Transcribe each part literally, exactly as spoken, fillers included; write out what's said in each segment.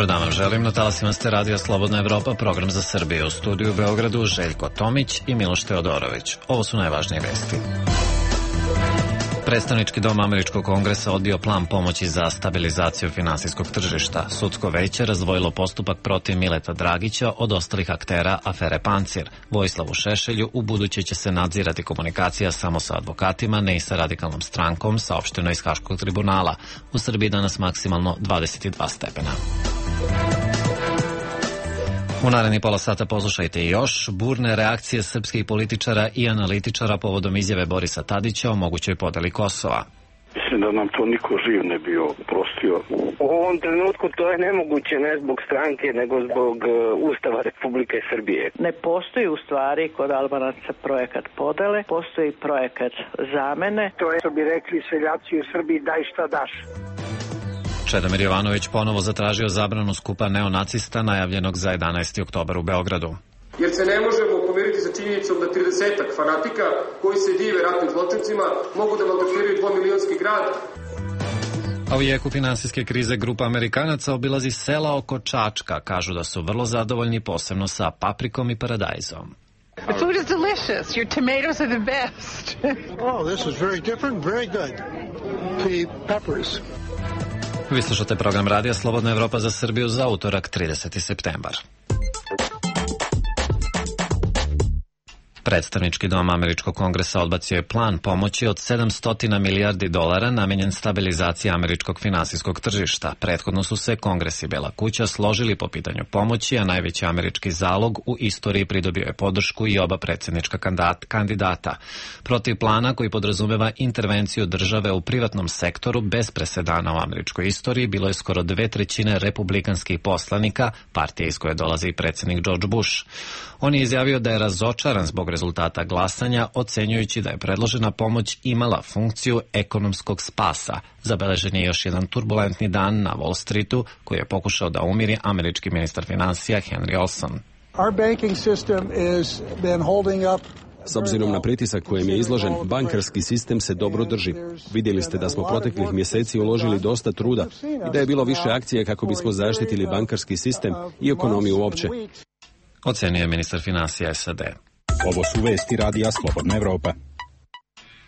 Dobar dan vam želim, na talasima ste Radio Slobodna Evropa, program za Srbiju. U studiju u Beogradu Željko Tomić i Miloš Teodorović. Ovo su najvažnije vesti. Predstavnički dom Američkog kongresa odbio plan pomoći za stabilizaciju finansijskog tržišta. Sudsko veće razdvojilo postupak protiv Mileta Dragića od ostalih aktera afere Pancir. Vojislavu Šešelju u buduće će se nadzirati komunikacija samo sa advokatima, ne i sa radikalnom strankom, saopšteno iz Haškog tribunala. U Srbiji danas maksimalno dvadeset dva stepena. U naredni pola sata poslušajte još burne reakcije srpskih političara i analitičara povodom izjave Borisa Tadića o mogućoj podeli Kosova. Mislim da nam to niko živ ne bi oprostio. U ovom trenutku to je nemoguće, ne zbog stranke, nego zbog uh, Ustava Republike Srbije. Ne postoji u stvari kod Albanaca projekat podele, postoji projekat zamene. To je, što bi rekli seljaci u Srbiji, daj šta daš. Čedomir Jovanović ponovo zatražio zabranu skupa neonacista najavljenog za jedanaesti oktobar u Beogradu. Jer se ne možemo pomiriti sa činjenicom da tridesetak fanatika koji se dive ratnim zločincima mogu da maltretiraju dvomilionski grad. A u jeku finansijske krize grupa Amerikanaca obilazi sela oko Čačka. Kažu da su vrlo zadovoljni, posebno sa paprikom i paradajzom. The food is delicious. Your tomatoes are the best. Oh, this is very different, very good. The peppers. Vi slušate program Radija Slobodna Evropa za Srbiju za utorak trideseti septembar. Predstavnički dom Američkog kongresa odbacio je plan pomoći od sedamsto milijardi dolara namenjen stabilizaciji američkog finansijskog tržišta. Prethodno su se Kongres i Bela kuća složili po pitanju pomoći, a najveći američki zalog u istoriji pridobio je podršku i oba predsjednička kandidata. Protiv plana, koji podrazumeva intervenciju države u privatnom sektoru bez presedana u američkoj istoriji, bilo je skoro dve trećine republikanskih poslanika, partije iz koje dolazi i predsjednik George Bush. On je izjavio da je razočaran zbog rezultata glasanja, ocenjujući da je predložena pomoć imala funkciju ekonomskog spasa. Zabeležen je još jedan turbulentni dan na Wall Streetu, koji je pokušao da umiri američki ministar finansija Henry Olson. Our banking system is been holding up. S obzirom na pritisak kojem je izložen, bankarski sistem se dobro drži. Vidjeli ste da smo proteklih mjeseci uložili dosta truda i da je bilo više akcije kako bismo zaštitili bankarski sistem i ekonomiju uopće. Ocenio je ministar finansija S A D. Ovo su vesti Radija Slobodna Evropa.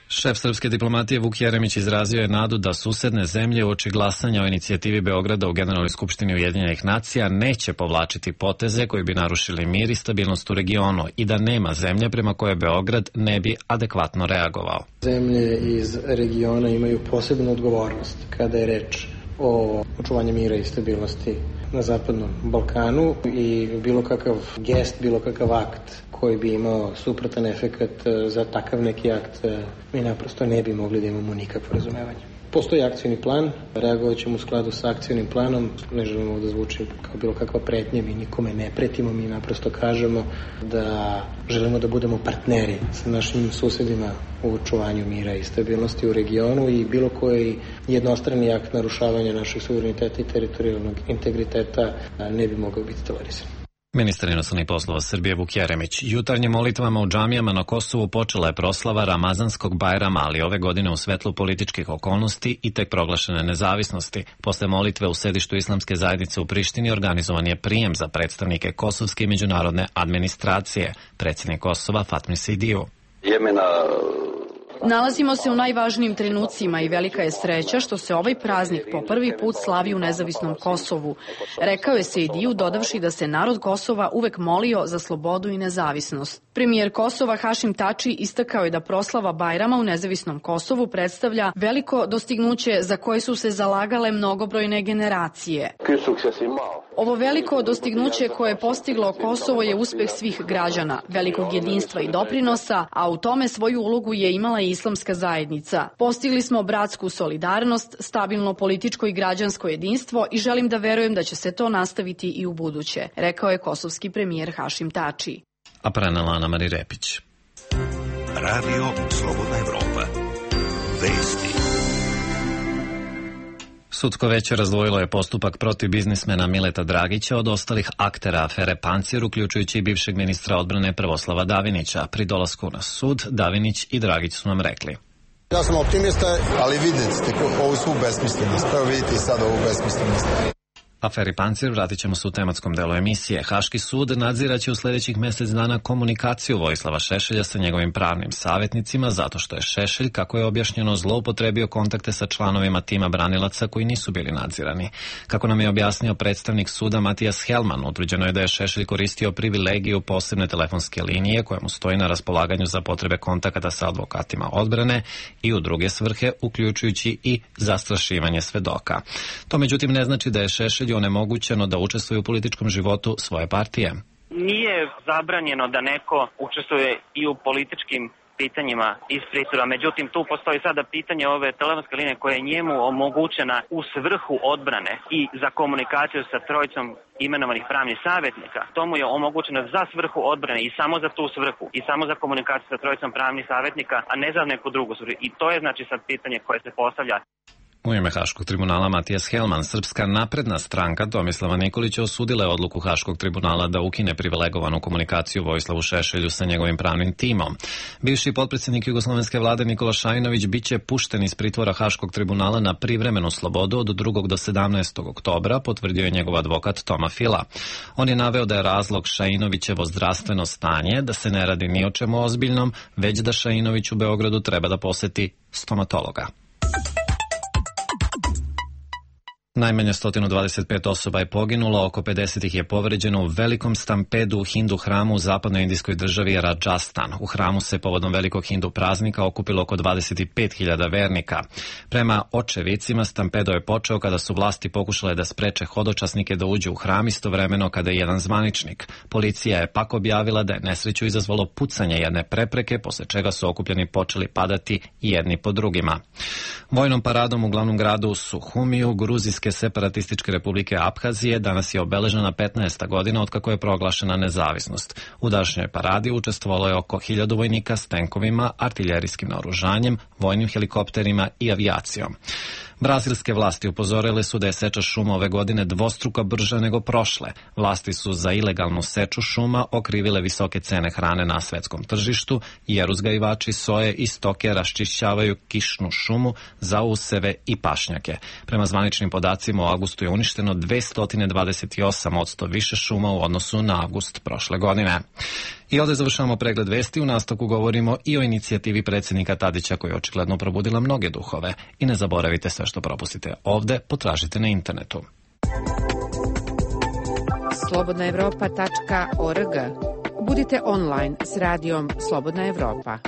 Šef srpske diplomatije Vuk Jeremić izrazio je nadu da susedne zemlje uoči glasanja o inicijativi Beograda u Generalnoj skupštini Ujedinjenih nacija neće povlačiti poteze koji bi narušili mir i stabilnost u regionu i da nema zemlje prema koje Beograd ne bi adekvatno reagovao. Zemlje iz regiona imaju posebnu odgovornost kada je reč o očuvanju mira i stabilnosti na Zapadnom Balkanu i bilo kakav gest, bilo kakav akt koji bi imao suprotan efekat za takav neki akt, mi naprosto ne bi mogli da imamo nikakvo razumevanje. Postoji akcijni plan, reagovat ćemo u skladu sa akcijnim planom, ne želimo da zvuči kao bilo kakva pretnja, mi nikome ne pretimo, mi naprosto kažemo da želimo da budemo partneri sa našim susedima u očuvanju mira i stabilnosti u regionu i bilo koji jednostrani akt narušavanja naših suvereniteta i teritorijalnog integriteta ne bi mogao biti tolerisan. Ministar inostranih poslova Srbije Vuk Jeremić. Jutarnjim molitvama u džamijama na Kosovu počela je proslava Ramazanskog Bajrama, ali ove godine u svetlu političkih okolnosti i tek proglašene nezavisnosti. Posle molitve u sedištu islamske zajednice u Prištini organizovan je prijem za predstavnike kosovske i međunarodne administracije. Predsjednik Kosova Fatmi Sidiju. Jemena... Nalazimo se u najvažnijim trenucima i velika je sreća što se ovaj praznik po prvi put slavi u nezavisnom Kosovu, rekao je Sejdiju, dodavši da se narod Kosova uvek molio za slobodu i nezavisnost. Premijer Kosova Hašim Tači istakao je da proslava Bajrama u nezavisnom Kosovu predstavlja veliko dostignuće za koje su se zalagale mnogobrojne generacije. Ovo veliko dostignuće koje je postiglo Kosovo je uspeh svih građana, velikog jedinstva i doprinosa, a u tome svoju ulogu je imala i islamska zajednica. Postigli smo bratsku solidarnost, stabilno političko i građansko jedinstvo i želim da verujem da će se to nastaviti i u buduće, rekao je kosovski premijer Hašim Tači. A prenela Ana Mari Repić. Radio Slobodna Evropa. Vesti. Sudsko veće razdvojilo je postupak protiv biznismena Mileta Dragića od ostalih aktera afere Pancir, uključujući i bivšeg ministra odbrane Prvoslava Davinića. Pri dolasku na sud, Davinić i Dragić su nam rekli: Ja sam optimista, ali vidite, ovu svu besmislenost. Prvo vidite i sad ovu besmislenost. Aferi Pancir vratit ćemo se u tematskom delu emisije. Haški sud nadziraće u sljedećih mjesec dana komunikaciju Vojislava Šešelja sa njegovim pravnim savjetnicima zato što je Šešelj, kako je objašnjeno, zloupotrebio kontakte sa članovima tima branilaca koji nisu bili nadzirani. Kako nam je objasnio predstavnik suda Matijas Helman, utvrđeno je da je Šešelj koristio privilegiju posebne telefonske linije koja mu stoji na raspolaganju za potrebe kontakata sa advokatima odbrane i u druge svrhe, uključujući i zastrašivanje svedoka. To međutim ne znači da je Šešelj onemogućeno da učestvuje u političkom životu svoje partije. Nije zabranjeno da neko učestvuje i u političkim pitanjima iz pritvora, međutim tu postoji sada pitanje ove telefonske linije koja je njemu omogućena u svrhu odbrane i za komunikaciju sa trojicom imenovanih pravnih savjetnika. To mu je omogućeno za svrhu odbrane i samo za tu svrhu i samo za komunikaciju sa trojicom pravnih savjetnika, a ne za neku drugu svrhu. I to je znači sad pitanje koje se postavlja. U ime Haškog tribunala Matijas Helman, Srpska napredna stranka Tomislava Nikolića osudila je odluku Haškog tribunala da ukine privilegovanu komunikaciju Vojislavu Šešelju sa njegovim pravnim timom. Bivši potpredsjednik jugoslovenske vlade Nikola Šajinović biće pušten iz pritvora Haškog tribunala na privremenu slobodu od drugog do sedamnaestog oktobra, potvrdio je njegov advokat Toma Fila. On je naveo da je razlog Šajinovićevo zdravstveno stanje, da se ne radi ni o čemu ozbiljnom, već da Šajinović u Beogradu treba da poseti stomatologa. Najmanje sto dvadeset pet osoba je poginulo, oko pedeset ih je povređeno u velikom stampedu u hindu hramu u zapadnoindijskoj državi Rajasthan. U hramu se povodom velikog hindu praznika okupilo oko dvadeset pet hiljada vernika. Prema očevicima, stampedo je počeo kada su vlasti pokušale da spreče hodočasnike da uđu u hram istovremeno kada je jedan zvaničnik. Policija je pak objavila da je nesreću izazvalo pucanje jedne prepreke, posle čega su okupljeni počeli padati jedni po drugima. Vojnom paradom u glavnom gradu Suhumiju, Gruzijske separatističke republike Abhazije, danas je obeležena petnaesta godina otkako je proglašena nezavisnost. U današnjoj paradi učestvovalo je oko hiljadu vojnika s tenkovima, artiljerijskim naoružanjem, vojnim helikopterima i avijacijom. Brazilske vlasti upozorile su da je seča šuma ove godine dvostruko brža nego prošle. Vlasti su za ilegalnu seču šuma okrivile visoke cene hrane na svetskom tržištu, jer uzgajivači soje i stoke raščišćavaju kišnu šumu za useve i pašnjake. Prema zvaničnim podacima, u avgustu je uništeno dvesta dvadeset osam posto više šuma u odnosu na avgust prošle godine. I ovdje završavamo pregled vesti, u nastavku govorimo i o inicijativi predsjednika Tadića koja je očigledno probudila mnoge duhove. I ne zaboravite, sve što propustite ovdje potražite na internetu. slobodna evropa tačka org. Budite online s radijom Slobodna Evropa.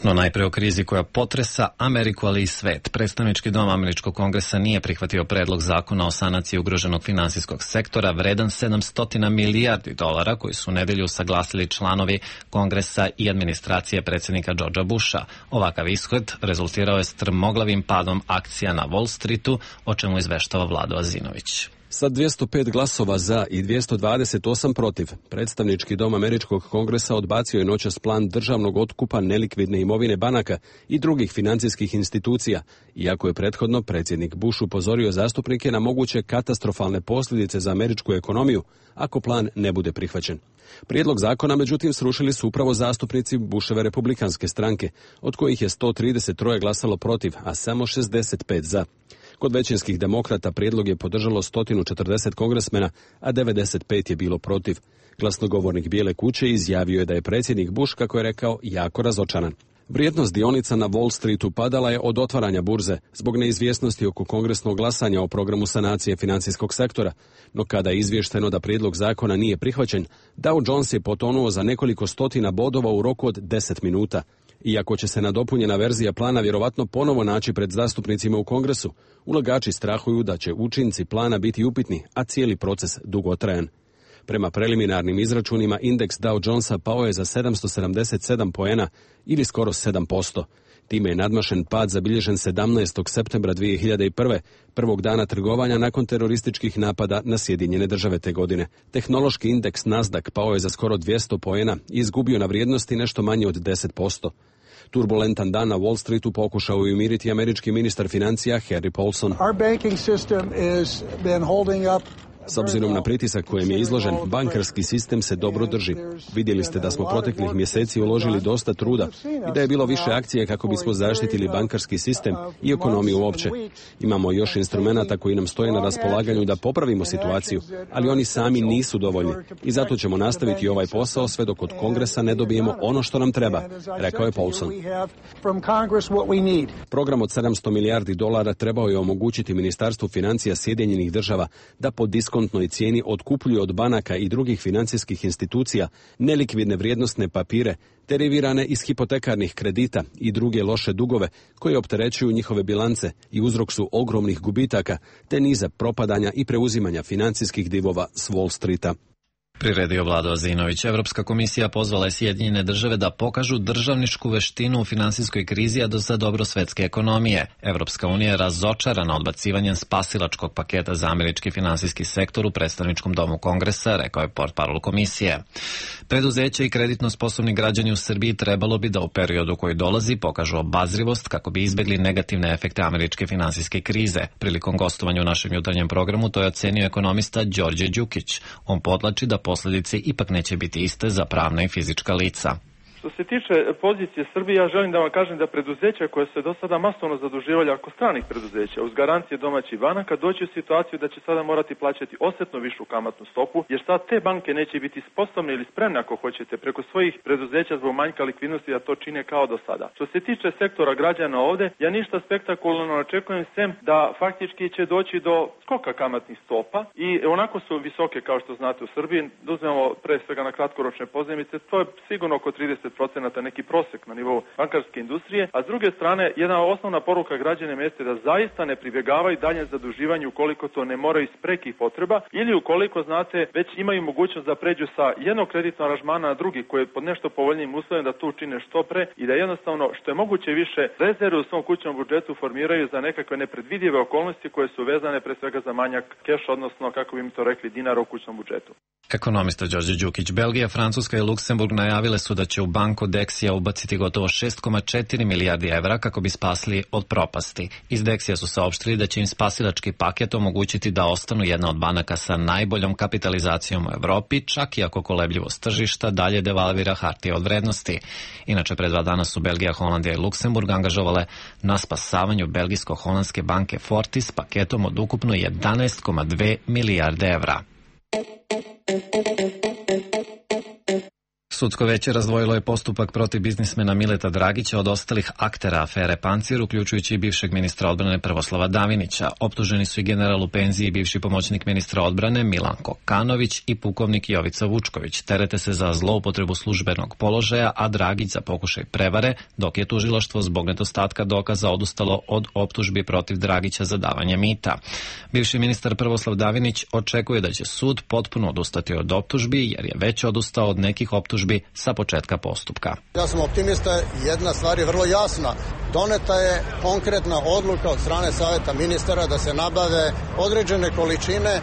No najpre o krizi koja potresa Ameriku, ali i svet. Predstavnički dom Američkog kongresa nije prihvatio predlog zakona o sanaciji ugroženog finansijskog sektora vredan sedamsto milijardi dolara koji su u nedelju usaglasili članovi kongresa i administracije predsjednika Georgea Busha. Ovakav ishod rezultirao je strmoglavim padom akcija na Wall Streetu, o čemu izveštava Vlado Azinović. Sa dvjesto pet glasova za i dvjesto dvadeset osam protiv, predstavnički dom Američkog kongresa odbacio je noćas plan državnog otkupa nelikvidne imovine banaka i drugih financijskih institucija, iako je prethodno predsjednik Bush upozorio zastupnike na moguće katastrofalne posljedice za američku ekonomiju ako plan ne bude prihvaćen. Prijedlog zakona, međutim, srušili su upravo zastupnici Bushove republikanske stranke, od kojih je sto trideset tri glasalo protiv, a samo šezdeset pet za. Kod većinskih demokrata prijedlog je podržalo sto četrdeset kongresmena, a devedeset pet je bilo protiv. Glasnogovornik Bijele kuće izjavio je da je predsjednik Bush, kako je rekao, jako razočaran. Vrijednost dionica na Wall Streetu padala je od otvaranja burze zbog neizvjesnosti oko kongresnog glasanja o programu sanacije financijskog sektora, no kada je izvješteno da prijedlog zakona nije prihvaćen, Dow Jones je potonuo za nekoliko stotina bodova u roku od deset minuta. Iako će se nadopunjena verzija plana vjerovatno ponovo naći pred zastupnicima u kongresu, ulagači strahuju da će učinci plana biti upitni, a cijeli proces dugotrajan. Prema preliminarnim izračunima, indeks Dow Jonesa pao je za sedamsto sedamdeset sedam poena ili skoro sedam posto. Time je nadmašen pad zabilježen sedamnaestog septembra dvije hiljade prve, prvog dana trgovanja nakon terorističkih napada na Sjedinjene Države te godine. Tehnološki indeks Nasdaq pao je za skoro dvjesto poena i izgubio na vrijednosti nešto manje od deset posto. Turbulentan dan na Wall Streetu pokušao je umiriti američki ministar financija Harry Paulson. Our banking system has been holding up S obzirom na pritisak kojem je izložen, bankarski sistem se dobro drži. Vidjeli ste da smo proteklih mjeseci uložili dosta truda i da je bilo više akcije kako bismo zaštitili bankarski sistem i ekonomiju uopće. Imamo još instrumenata koji nam stoje na raspolaganju da popravimo situaciju, ali oni sami nisu dovoljni i zato ćemo nastaviti ovaj posao sve dok od Kongresa ne dobijemo ono što nam treba, rekao je Paulson. Program od sedamsto milijardi dolara trebao je omogućiti Ministarstvu financija Sjedinjenih država da po diskontnoj cijeni otkupljuje od banaka i drugih financijskih institucija nelikvidne vrijednosne papire, derivirane iz hipotekarnih kredita i druge loše dugove koji opterećuju njihove bilance i uzrok su ogromnih gubitaka te niza propadanja i preuzimanja financijskih divova s Wall Streeta. Priredio Vlado Azinović. Evropska komisija pozvala je Sjedinjene države da pokažu državničku veštinu u finansijskoj krizi, a do za dobro svetske ekonomije. Evropska unija je razočarana odbacivanjem spasilačkog paketa za američki finansijski sektor u predstavničkom domu Kongresa, rekao je portparol komisije. Preduzeće i kreditno sposobni građani u Srbiji trebalo bi da u periodu koji dolazi pokažu obazrivost kako bi izbegli negativne efekte američke finansijske krize. Prilikom gostovanja u našem jutarnjem programu to je ocenio ekonomista Đorđe Đukić. On podlači da posljedice ipak neće biti iste za pravna i fizička lica. Što se tiče pozicije Srbije, ja želim da vam kažem da preduzeća koje se do sada masovno zaduživali oko stranih preduzeća uz garancije domaćih banaka doći u situaciju da će sada morati plaćati osjetno višu kamatnu stopu, jer sad te banke neće biti sposobne ili spremne, ako hoćete, preko svojih preduzeća zbog manjka likvidnosti da to čine kao do sada. Što se tiče sektora građana ovde, ja ništa spektakularno očekujem sem da faktički će doći do skoka kamatnih stopa i onako su visoke kao što znate u Srbiji. Da uzmemo pre svega na kratkoročne pozajmice, to je sigurno oko trideset procenata neki prosek na nivou bankarske industrije, a s druge strane jedna osnovna poruka građanima jeste da zaista ne pribjegavaju dalje zaduživanju ukoliko to ne moraju iz prekih potreba ili ukoliko, znate, već imaju mogućnost da pređu sa jednog kreditnog aranžmana na drugi koji je pod nešto povoljnijim uslovima da to učine što pre i da jednostavno što je moguće više rezerve u svom kućnom budžetu formiraju za nekakve nepredvidive okolnosti koje su vezane pre svega za manjak keša, odnosno kako bi mi to rekli dinara u kućnom budžetu. Ekonomista Đorđe Đukić. Belgija, Francuska i Luksemburg najavile su da će u banku Dexia ubaciti gotovo šest zarez četiri milijardi evra kako bi spasili od propasti. Iz Dexia su saopštili da će im spasilački paket omogućiti da ostanu jedna od banaka sa najboljom kapitalizacijom u Evropi, čak i ako kolebljivost tržišta dalje devalvira hartije od vrednosti. Inače, pre dva dana su Belgija, Holandija i Luksemburg angažovale na spasavanju belgijsko-holandske banke Fortis paketom od ukupno jedanaest zarez dve milijarde evra. Sudsko veće razdvojilo je postupak protiv biznismena Mileta Dragića od ostalih aktera afere Pancir, uključujući i bivšeg ministra odbrane Prvoslava Davinića. Optuženi su i general u penziji i bivši pomoćnik ministra odbrane Milan Kokanović i pukovnik Jovica Vučković. Terete se za zloupotrebu službenog položaja, a Dragić za pokušaj prevare, dok je tužilaštvo zbog nedostatka dokaza odustalo od optužbi protiv Dragića za davanje mita. Bivši ministar Prvoslav Davinić očekuje da će sud potpuno odustati od optužbi, jer je već odustao od nekih optužbi sa početka postupka. Ja sam optimista, jedna stvar je vrlo jasna. Doneta je konkretna odluka od strane Saveta ministara da se nabave određene količine,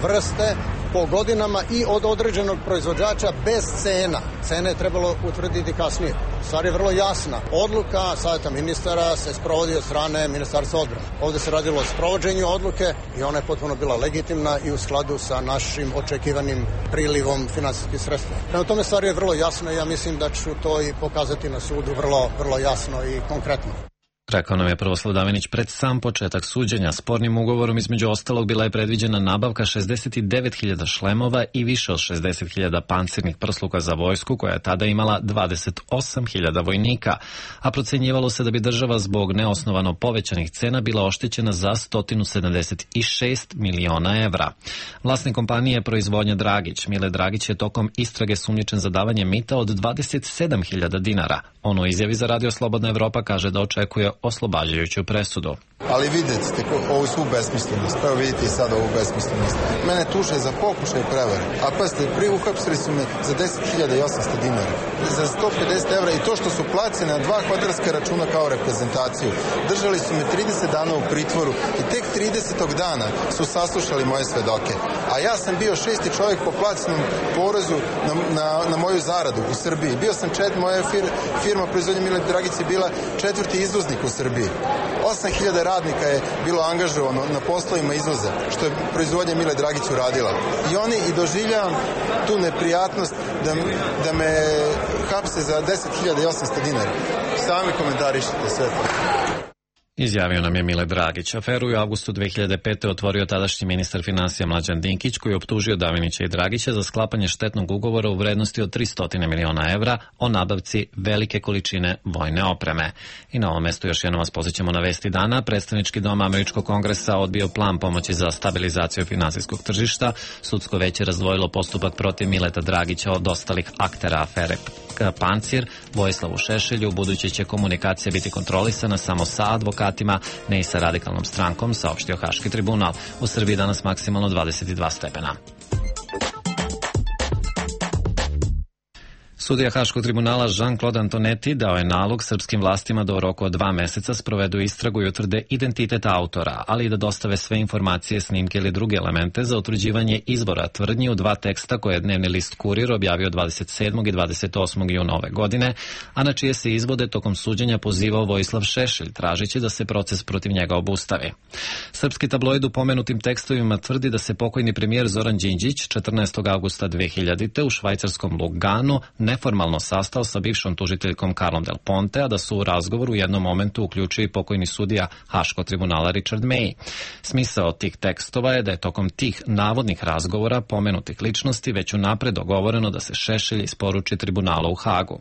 vrste po godinama i od određenog proizvođača bez cena. Cene je trebalo utvrditi kasnije. Stvar je vrlo jasna. Odluka Saveta ministara se sprovodi od strane Ministarstva odbrane. Ovdje se radilo o sprovođenju odluke i ona je potpuno bila legitimna i u skladu sa našim očekivanim prilivom finansijskih sredstva. Prema tome stvar je vrlo jasna i ja mislim da ću to i pokazati na sudu vrlo, vrlo jasno i konkretno. Rekao nam je Prvoslav Davinić pred sam početak suđenja. Spornim ugovorom između ostalog bila je predviđena nabavka šezdeset devet hiljada šlemova i više od šezdeset hiljada pancirnih prsluka za vojsku, koja je tada imala dvadeset osam hiljada vojnika, a procenjivalo se da bi država zbog neosnovano povećanih cena bila oštećena za sto sedamdeset šest miliona evra. Vlasnik kompanije je proizvodnja Dragić. Mile Dragić je tokom istrage sumnjičen za davanje mita od dvadeset sedam hiljada dinara. On u izjavi za Radio Slobodna Evropa kaže da očekuje oslobađajuću presudu. Ali vidite ovu svu besmislenost, pa vidite i sad ovu besmislenost. Mene tuže za pokušaj prevare, a pa ste pri uhapsili su me za deset hiljada osamsto dinara, za sto pedeset evra i to što su placene na dva kvadarska računa kao reprezentaciju. Držali su me trideset dana u pritvoru i tek tridesetog dana su saslušali moje svedoke. A ja sam bio šesti čovjek po placenom porezu na, na, na moju zaradu u Srbiji. Bio sam čet, moja fir, firma proizvodnja Mile Dragić je bila četvrti izvoznik u Srbiji. osam hiljada radnika je bilo angažovano na poslovima izvoza, što je proizvodnja Mile Dragić uradila. I oni i doživljavam tu neprijatnost da, da me hapse za deset hiljada osamsto dinara. Sami komentarišite sve to. Izjavio nam je Mile Dragić. Aferu u avgustu dve hiljade pete. otvorio tadašnji ministar finansija Mlađan Dinkić, koji je optužio Davinića i Dragića za sklapanje štetnog ugovora u vrednosti od tristo miliona evra o nabavci velike količine vojne opreme. I na ovom mestu još jednom vas podsjećamo na vesti dana. Predstavnički dom Američkog kongresa odbio plan pomoći za stabilizaciju finansijskog tržišta. Sudsko veće razdvojilo postupak protiv Mileta Dragića od ostalih aktera afere Pancir. Vojislavu Šešelju budući će komunikacija biti kontrolisana samo sa advokatima, ne i sa radikalnom strankom, saopštio Haški tribunal. U Srbiji danas maksimalno dvadeset dva stepena. Sudija Haškog tribunala Jean-Claude Antonetti dao je nalog srpskim vlastima da u roku od dva meseca sprovedu istragu i utvrde identitet autora, ali i da dostave sve informacije, snimke ili druge elemente za utvrđivanje izvora tvrdnji u dva teksta koje je dnevni list Kurir objavio dvadeset sedmog i dvadeset osmog juna ove godine, a na čije se izvode tokom suđenja pozivao Vojislav Šešelj, tražići da se proces protiv njega obustavi. Srpski tabloid u pomenutim tekstovima tvrdi da se pokojni premijer Zoran Đinđić četrnaestog avgusta dve hiljadite. u švajcarskom Luganu neformalno sastao sa bivšom tužiteljkom Karlom Del Ponte, a da su u razgovoru u jednom momentu uključio i pokojni sudija Haškog tribunala Richard May. Smisao tih tekstova je da je tokom tih navodnih razgovora pomenutih ličnosti već unapred dogovoreno da se Šešelj isporuči tribunalu u Hagu.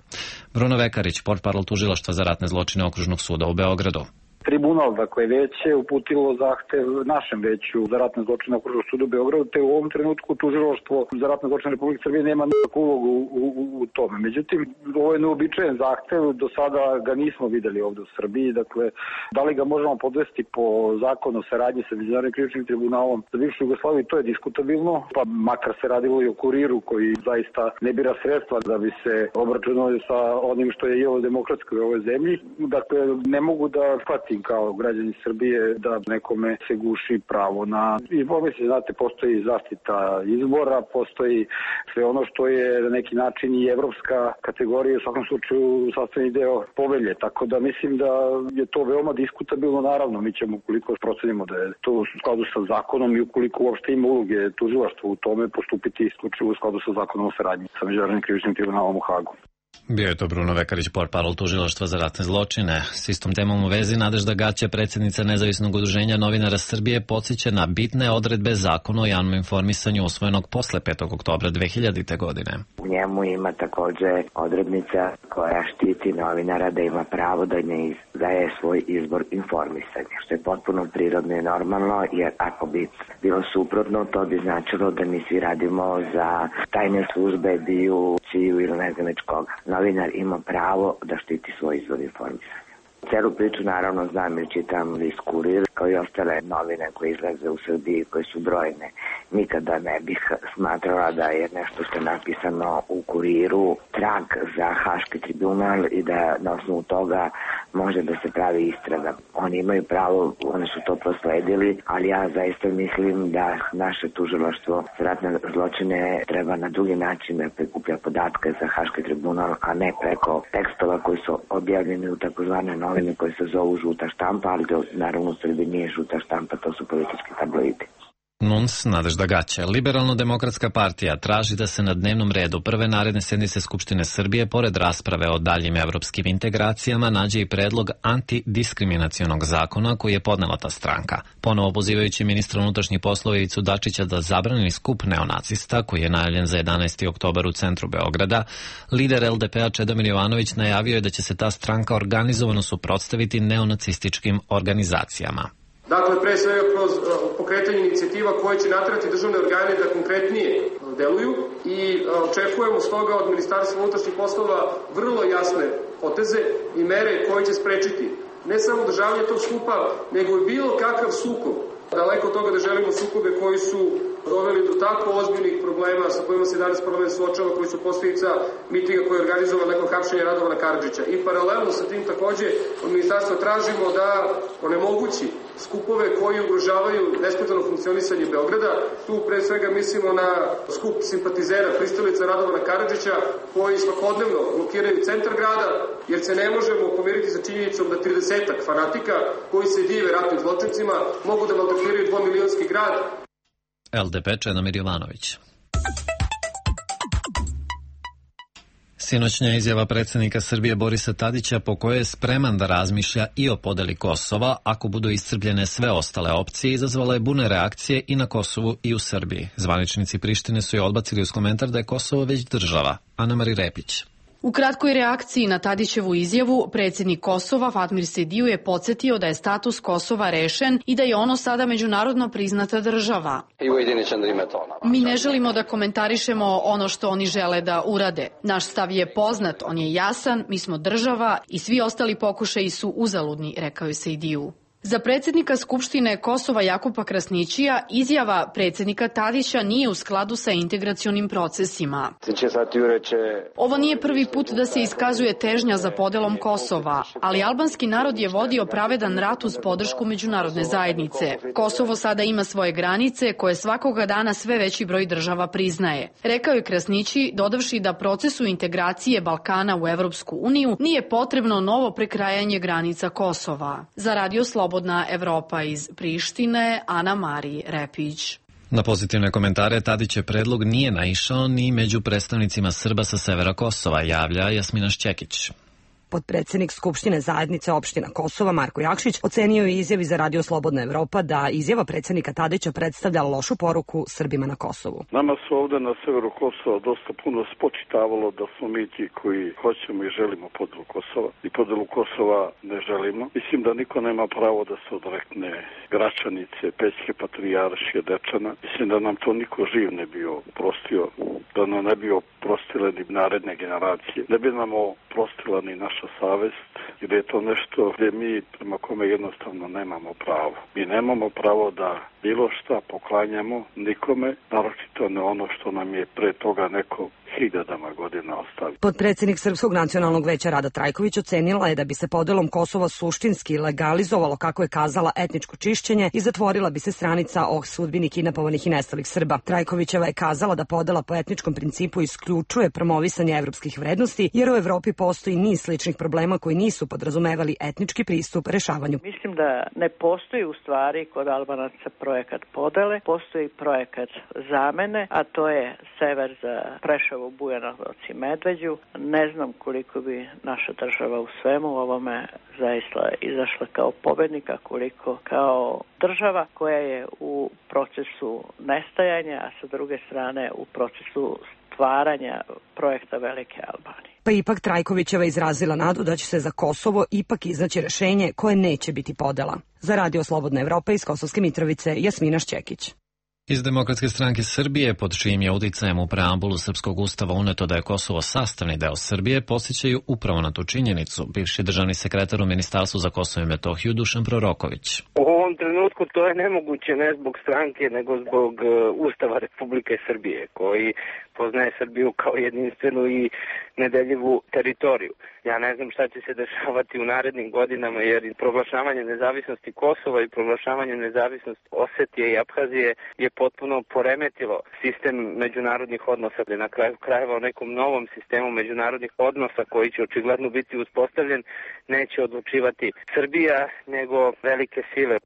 Bruno Vekarić, portparol tužilaštva za ratne zločine Okružnog suda u Beogradu. Tribunal, dakle, veće uputilo zahtev našem veću za ratne zločine Okružnog suda u Beogradu, te u ovom trenutku tužilaštvo za ratne zločine Republike Srbije nema nikakvu ulogu u, u, u tome. Međutim, ovo je neobičajen zahtev, do sada ga nismo videli ovde u Srbiji, dakle, da li ga možemo podvesti po zakonu o saradnji sa Međunarodnim krivičnim tribunalom za bivšu Jugoslaviju, to je diskutabilno, pa makar se radilo i o Kuriru koji zaista ne bira sredstva da bi se obračunali sa onim što je jelo demokratsko u ovoj zemlji. Dakle, ne mogu da shvatim kao građani Srbije da nekome se guši pravo na informisanje. Znate, postoji zaštita izbora, postoji sve ono što je na neki način i evropska kategorija, u svakom slučaju sastavni deo povelje. Tako da mislim da je to veoma diskutabilno. Naravno, mi ćemo, ukoliko procenimo da je to u skladu sa zakonom i ukoliko uopšte ima uloge tužilaštva u tome, postupiti isključivo u skladu sa zakonom o saradnji sa Međunarodnim krivičnim tribunalom u Hagu. Bio je to Bruno Vekarić, portparol tužilaštva za ratne zločine. S istom temom u vezi Nadežda Gaća, predsjednica Nezavisnog udruženja novinara Srbije, podsjeća na bitne odredbe Zakona o javnom informisanju usvojenog posle petog oktobra dve hiljadite. godine. U njemu ima takođe odrednica koja štiti novinara da ima pravo da ne daje svoj izbor informisanja, što je potpuno prirodno i normalno, jer ako bi bilo suprotno, to bi značilo da mi svi radimo za tajne službe, biju, čiju ili ne znam već koga. Novinar ima pravo da štiti svoj izvor informisanja. Celu priču naravno znam i čitam list Kurir, kao i ostale novine koje izlaze u Srbiji, koje su brojne. Nikada ne bih smatrala da je nešto što je napisano u Kuriru trag za Haški tribunal i da na osnovu toga može da se pravi istraga. Oni imaju pravo, oni su to prosledili, ali ja zaista mislim da naše tužilaštvo za ratne zločine treba na drugi način da prikuplja podatke za Haški tribunal, a ne preko tekstova koji su objavljeni u takozvane novine koje se zovu žuta štampa, ali to naravno u Srbiji nije žuta štampa, to su politički tabloidi. Nuns Nadežda Gaća. Liberalno-demokratska partija traži da se na dnevnom redu prve naredne sednice Skupštine Srbije, pored rasprave o daljim evropskim integracijama, nađe i predlog antidiskriminacionog zakona koji je podnela ta stranka. Ponovo pozivajući ministra unutrašnjih poslova Ivicu Dačića da zabrani skup neonacista koji je najavljen za jedanaesti oktobar u centru Beograda, lider L D P-a Čedomir Jovanović najavio je da će se ta stranka organizovano suprotstaviti neonacističkim organizacijama. Dakle, pre svega kroz pokretanje inicijativa koje će naterati državne organe da konkretnije deluju i očekujemo stoga od Ministarstva unutrašnjih poslova vrlo jasne poteze i mere koje će sprečiti ne samo održavanje tog skupa, nego i bilo kakav sukob. Daleko od toga da želimo sukobe koji su doveli do tako ozbiljnih problema sa kojima se danas parlament suočava, koji su posljedica mitinga koji je organizovan nakon hapšenja Radovana Karadžića. I paralelno sa tim takođe od ministarstva tražimo da onemogući skupove koji ugrožavaju nesmetano funkcionisanje Beograda. Tu pre svega mislimo na skup simpatizera pristalica Radovana Karadžića koji svakodnevno blokiraju centar grada, jer se ne možemo pomiriti sa činjenicom da tridesetak fanatika koji se dive ratnim zločincima mogu da maltretiraju dvomilionski grad. L D P Čedomir Jovanović. Sinoćnja izjava predsjednika Srbije Borisa Tadića po kojoj je spreman da razmišlja i o podeli Kosova ako budu iscrpljene sve ostale opcije izazvala je burne reakcije i na Kosovu i u Srbiji. Zvaničnici Prištine su je odbacili uz komentar da je Kosovo već država. Ana Mari Repić. U kratkoj reakciji na Tadićevu izjavu, predsjednik Kosova Fatmir Sediju je podsjetio da je status Kosova rešen i da je ono sada međunarodno priznata država. Mi ne želimo da komentarišemo ono što oni žele da urade. Naš stav je poznat, on je jasan, mi smo država i svi ostali pokušaji su uzaludni, rekao je Sediju. Za predsjednika Skupštine Kosova Jakupa Krasnićija izjava predsjednika Tadića nije u skladu sa integracionim procesima. Ovo nije prvi put da se iskazuje težnja za podelom Kosova, ali albanski narod je vodio pravedan rat uz podršku međunarodne zajednice. Kosovo sada ima svoje granice koje svakoga dana sve veći broj država priznaje. Rekao je Krasnići, dodavši da procesu integracije Balkana u Evropsku uniju nije potrebno novo prekrajanje granica Kosova. Za Radio Slobodna Evropa iz Prištine, Ana Mari Repić. Na pozitivne komentare Tadićev predlog nije naišao ni među predstavnicima Srba sa severa Kosova, javlja Jasmina Šćekić. Potpredsjednik Skupštine zajednice opština Kosova Marko Jakšić ocenio je izjavi za Radio Slobodna Evropa da izjava predsjednika Tadića predstavlja lošu poruku Srbima na Kosovu. Nama su ovde na severu Kosova dosta puno spočitavalo da smo mi ti koji hoćemo i želimo podelu Kosova i podelu Kosova ne želimo. Mislim da niko nema pravo da se odrekne Gračanice, Pećke patrijaršije, Dečana. Mislim da nam to niko živ ne bi oprostio, da nam ne bi oprostile ni naredne generacije, ne bi nam oprostila ni naša savest, jer je to nešto gdje mi prema kome jednostavno nemamo pravo. Mi nemamo pravo da bilo šta poklanjamo nikome, naročito ne ono što nam je pre toga neko hiljadama godina ostavio. Potpredsjednik Srpskog nacionalnog veća Rada Trajković ocenila je da bi se podelom Kosova suštinski legalizovalo, kako je kazala, etničko čišćenje i zatvorila bi se stranica o sudbini kidnapovanih i nestalih Srba. Trajkovićeva je kazala da podela po etničkom principu isključuje promovisanje evropskih vrednosti, jer u Evropi postoji niz sličnih problema koji nisu podrazumevali etnički pristup rešavanju. Mislim da ne postoji u stvari kod Albanaca projekat podele, postoji projekat zamene, a to je sever za Preševo, Bujanovac i Medveđu. Ne znam koliko bi naša država u svemu ovome zaista izašla kao pobednika, koliko kao država koja je u procesu nestajanja, a sa druge strane u procesu stvaranja projekta Velike Albanije. Pa ipak Trajkovićeva izrazila nadu da će se za Kosovo ipak iznaći rešenje koje neće biti podela. Za Radio Slobodna Evropa iz Kosovske Mitrovice, Jasmina Šćekić. Iz Demokratske stranke Srbije, pod čijim je uticajem u preambulu Srpskog ustava uneto da je Kosovo sastavni deo Srbije, podsjećaju upravo na tu činjenicu bivši državni sekretar u Ministarstvu za Kosovo i Metohiju Dušan Proroković. U ovom trenutku to je nemoguće ne zbog stranke, nego zbog Ustava Republike Srbije, koji poznaje Srbiju kao jedinstvenu i nedeljivu teritoriju. Ja ne znam šta će se dešavati u narednim godinama, jer proglašavanje nezavisnosti Kosova i proglašavanje nezavisnosti Osetije i Abhazije je potpuno poremetilo sistem međunarodnih odnosa. Na kraju krajeva o nekom novom sistemu međunarodnih odnosa koji će očigledno biti uspostavljen neće odlučivati Srbija, nego velike sile.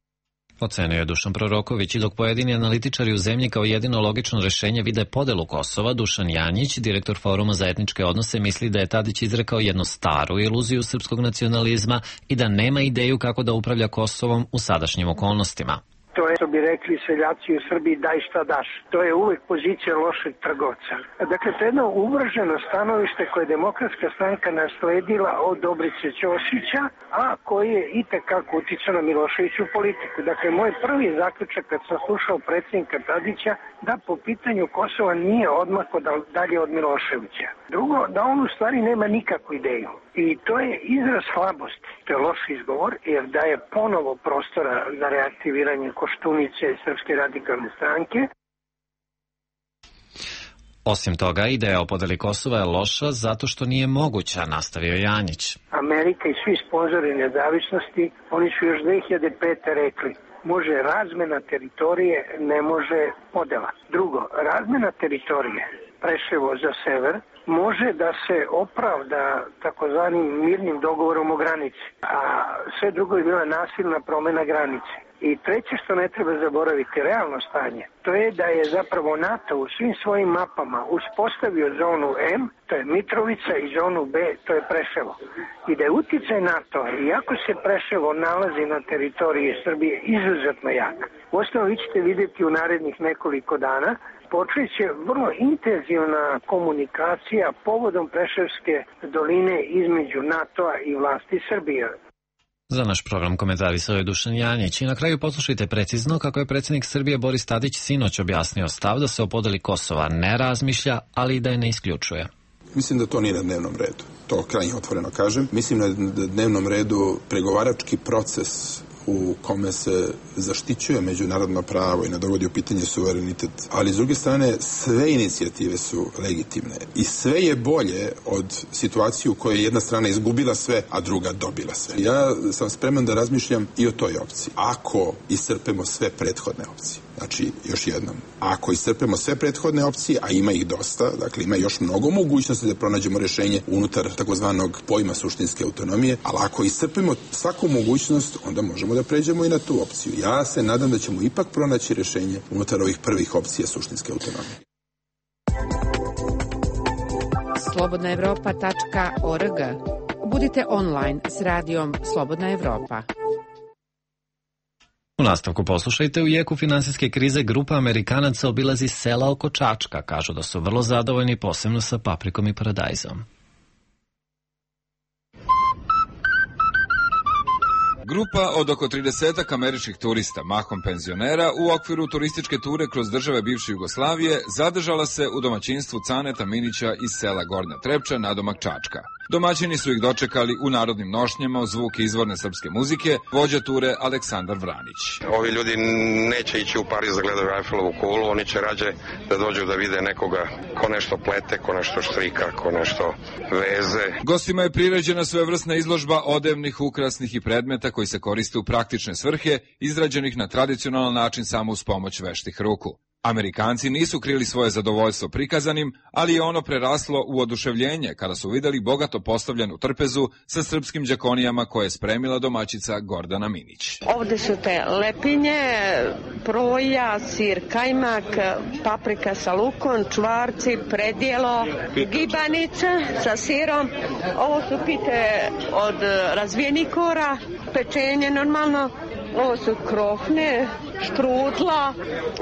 Ocenio je Dušan Proroković, i dok pojedini analitičari u zemlji kao jedino logično rešenje vide podelu Kosova, Dušan Janjić, direktor Foruma za etničke odnose, misli da je Tadić izrekao jednu staru iluziju srpskog nacionalizma i da nema ideju kako da upravlja Kosovom u sadašnjim okolnostima. To je, što bi rekli seljaci u Srbiji, daj šta daš. To je uvek pozicija lošeg trgovca. Dakle, to je jedno uvrženo stanovište koje je Demokratska stranka nasledila od Dobrice Ćosića, a koji je i tekako uticao na Miloševiću politiku. Dakle, moj prvi zaključak kad sam slušao predsjednika Tadića, da po pitanju Kosova nije odmako dalje od Miloševića. Drugo, da on u stvari nema nikakvu ideju. I to je izraz slabosti. To je loš izgovor, jer daje ponovo prostora za reaktiviranje Koštunice Srpske radikalne stranke. Osim toga, ideja o podeli Kosova je loša zato što nije moguća, nastavio Janjić. Amerika i svi sponzori nezavisnosti, oni su još dve hiljade pete rekli, može razmena teritorije, ne može podela. Drugo, razmena teritorije, Preševo za sever, može da se opravda takozvanim mirnim dogovorom o granici, a sve drugo je bila nasilna promena granice. I treće što ne treba zaboraviti, realno stanje, to je da je zapravo NATO u svim svojim mapama uspostavio zonu M, to je Mitrovica, i zonu B, to je Preševo. I da je uticaj NATO-a, iako se Preševo nalazi na teritoriji Srbije, izuzetno jak. Uostalom, vi ćete vidjeti u narednih nekoliko dana, počeće vrlo intenzivna komunikacija povodom Preševske doline između NATO-a i vlasti Srbije. Za naš program komentarisao je Dušan Janjić i na kraju poslušajte precizno kako je predsjednik Srbije Boris Tadić sinoć objasnio stav da se o podeli Kosova ne razmišlja, ali i da je ne isključuje. Mislim da to nije na dnevnom redu. To krajnje otvoreno kažem. Mislim da je na dnevnom redu pregovarački proces u kome se zaštićuje međunarodno pravo i ne dovodi u pitanje suverenitet. Ali s druge strane, sve inicijative su legitimne i sve je bolje od situacije u kojoj je jedna strana izgubila sve, a druga dobila sve. Ja sam spreman da razmišljam i o toj opciji. Ako iscrpemo sve prethodne opcije. Znači, još jednom, ako iscrpemo sve prethodne opcije, a ima ih dosta, dakle ima još mnogo mogućnosti da pronađemo rješenje unutar takozvanog pojma suštinske autonomije, ali ako iscrpimo svaku mogućnost, onda možemo da pređemo i na tu opciju. Ja se nadam da ćemo ipak pronaći rješenje unutar ovih prvih opcija suštinske autonomije. slobodna evropa tačka org. Budite online s radijom Slobodna Evropa. U nastavku poslušajte, u jeku finansijske krize grupa Amerikanaca obilazi sela oko Čačka. Kažu da su vrlo zadovoljni, posebno sa paprikom i paradajzom. Grupa od oko tridesetak američkih turista, mahom penzionera, u okviru turističke ture kroz države bivše Jugoslavije zadržala se u domaćinstvu Caneta Minića iz sela Gornja Trepča nadomak Čačka. Domaćini su ih dočekali u narodnim nošnjama uz zvuk izvorne srpske muzike, vođa ture Aleksandar Vranić. Ovi ljudi neće ići u Pariz da gledaju Eiffelovu kulu, oni će rađe da dođu da vide nekoga ko nešto plete, ko nešto štrika, ko nešto veze. Gostima je priređena svojevrsna izložba odevnih, ukrasnih i predmeta koji se koriste u praktične svrhe, izrađenih na tradicionalan način samo uz pomoć veštih ruku. Amerikanci nisu krili svoje zadovoljstvo prikazanim, ali je ono preraslo u oduševljenje kada su videli bogato postavljenu trpezu sa srpskim đakonijama koje je spremila domaćica Gordana Minić. Ovde su te lepinje, proja, sir kajmak, paprika sa lukom, čvarci, predjelo, gibanica sa sirom. Ovo su pite od razvijenih kora, pečenje normalno. Ovo su krofne, štrudla,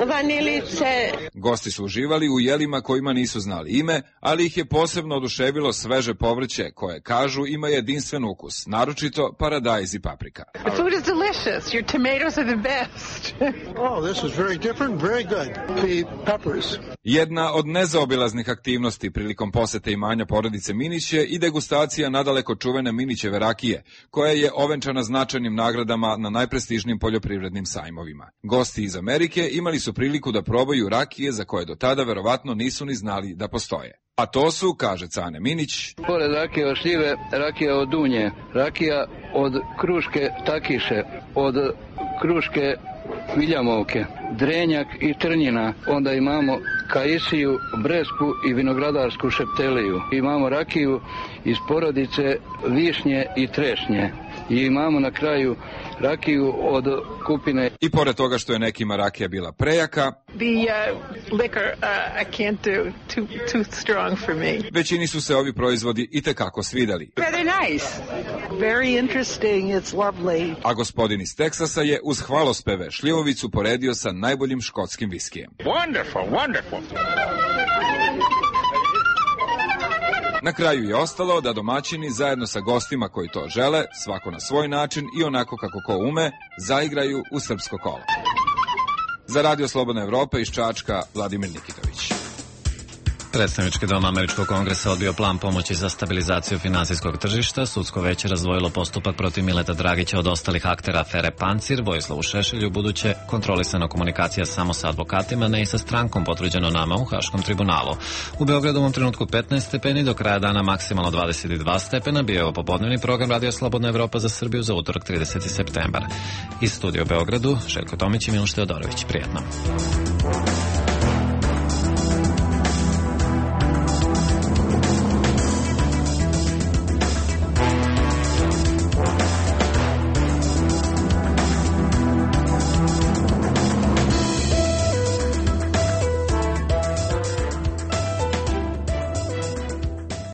vanilice. Gosti su uživali u jelima kojima nisu znali ime, ali ih je posebno oduševilo sveže povrće koje, kažu, ima jedinstven ukus, naročito paradajz i paprika. The food is delicious. Your tomatoes are the best. Oh, this is very different, very good. The peppers. Jedna od nezaobilaznih aktivnosti prilikom posete imanja porodice Minić je i degustacija nadaleko čuvene Minićeve rakije, koja je ovenčana značajnim nagradama na najprestižnijim poljoprivrednim sajmovima. Gosti iz Amerike imali su priliku da probaju rakije za koje do tada verovatno nisu ni znali da postoje. A to su, kaže Cane Minić, pored rakije od šljive, rakija od dunje, rakija od kruške takiše, od kruške viljamovke, drenjak i trnjina, onda imamo kajsiju, bresku i vinogradarsku šepteliju. Imamo rakiju iz porodice višnje i trešnje i imamo na kraju rakiju od kupine. I pored toga što je nekima rakija bila prejaka, The uh, liquor uh, I can't do too too strong for me. Većini su se ovi proizvodi i tekako svideli. Very nice. Very interesting. It's lovely. A gospodin iz Teksasa je uz hvalospeve šljivovicu poredio sa najboljim škotskim viskijem. Wonderful, wonderful. Na kraju je ostalo da domaćini zajedno sa gostima koji to žele, svako na svoj način i onako kako ko ume, zaigraju u srpsko kolo. Za Radio Slobodna Evropa iz Čačka, Vladimir Nikitović. Predstavnički dom Američkog kongresa odbio plan pomoći za stabilizaciju finansijskog tržišta. Sudsko veće razdvojilo postupak protiv Mileta Dragića od ostalih aktera afere Pancir. Vojislavu Šešelju buduće kontrolisana komunikacija samo sa advokatima, ne i sa strankom, potvrđeno nama u Haškom tribunalu. U Beogradu u ovom trenutku petnaest stepeni, do kraja dana maksimalno dvadeset dva stepena. Bio je ovo popodnevni program Radio Slobodna Evropa za Srbiju za utorak trideseti septembar. Iz studija u Beogradu, Željko Tomić i Miloš Teodorović. Prijetno.